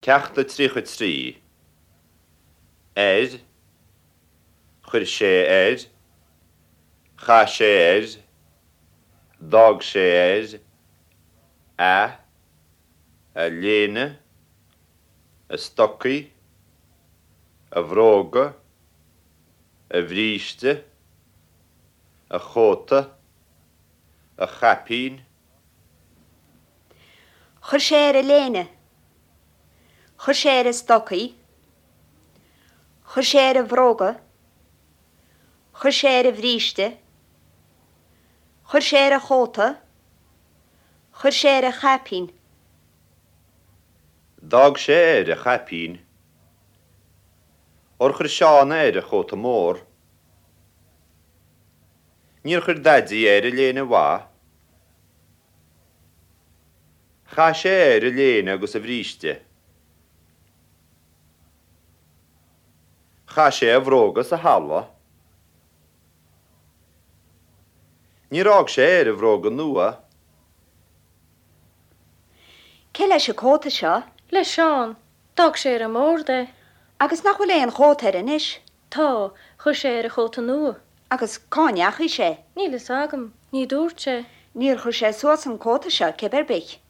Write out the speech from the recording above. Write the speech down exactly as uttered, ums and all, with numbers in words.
Ceacht a tríocha trí. Air, chuir sé air, chaith sé air, d'fhág sé air, a, a léine, a stocaí, a bhróga, a bhríste, a chóta, a chaipín. Chuir sé air a léine. Chuir sé air a stocaí. Chuir sé air a bhróga. Chuir sé air a bhríste. Chuir sé air a chóta. Chuir sé air a chaipín. D'fhág sé air a chaipín. Ar chuir Seán air a chóta mór. Níor chuir Daidí air a léine mhaith. Chaith sé air a léine agus a bhríste. Chaith sé a bhróga sa halla. Níor fhág sé air a bhróga nua. Cé leis an cóta seo? Le Seán, d'fhág sé ar an mbord é. Agus nach bhfuil aon chóta air anois? Tá, chuir sé air a chóta nua. Agus cá ndeachaigh sé? Níl fhios agam, ní dúirt sé. Níor chuir sé suas an cóta seo cibé ar bith.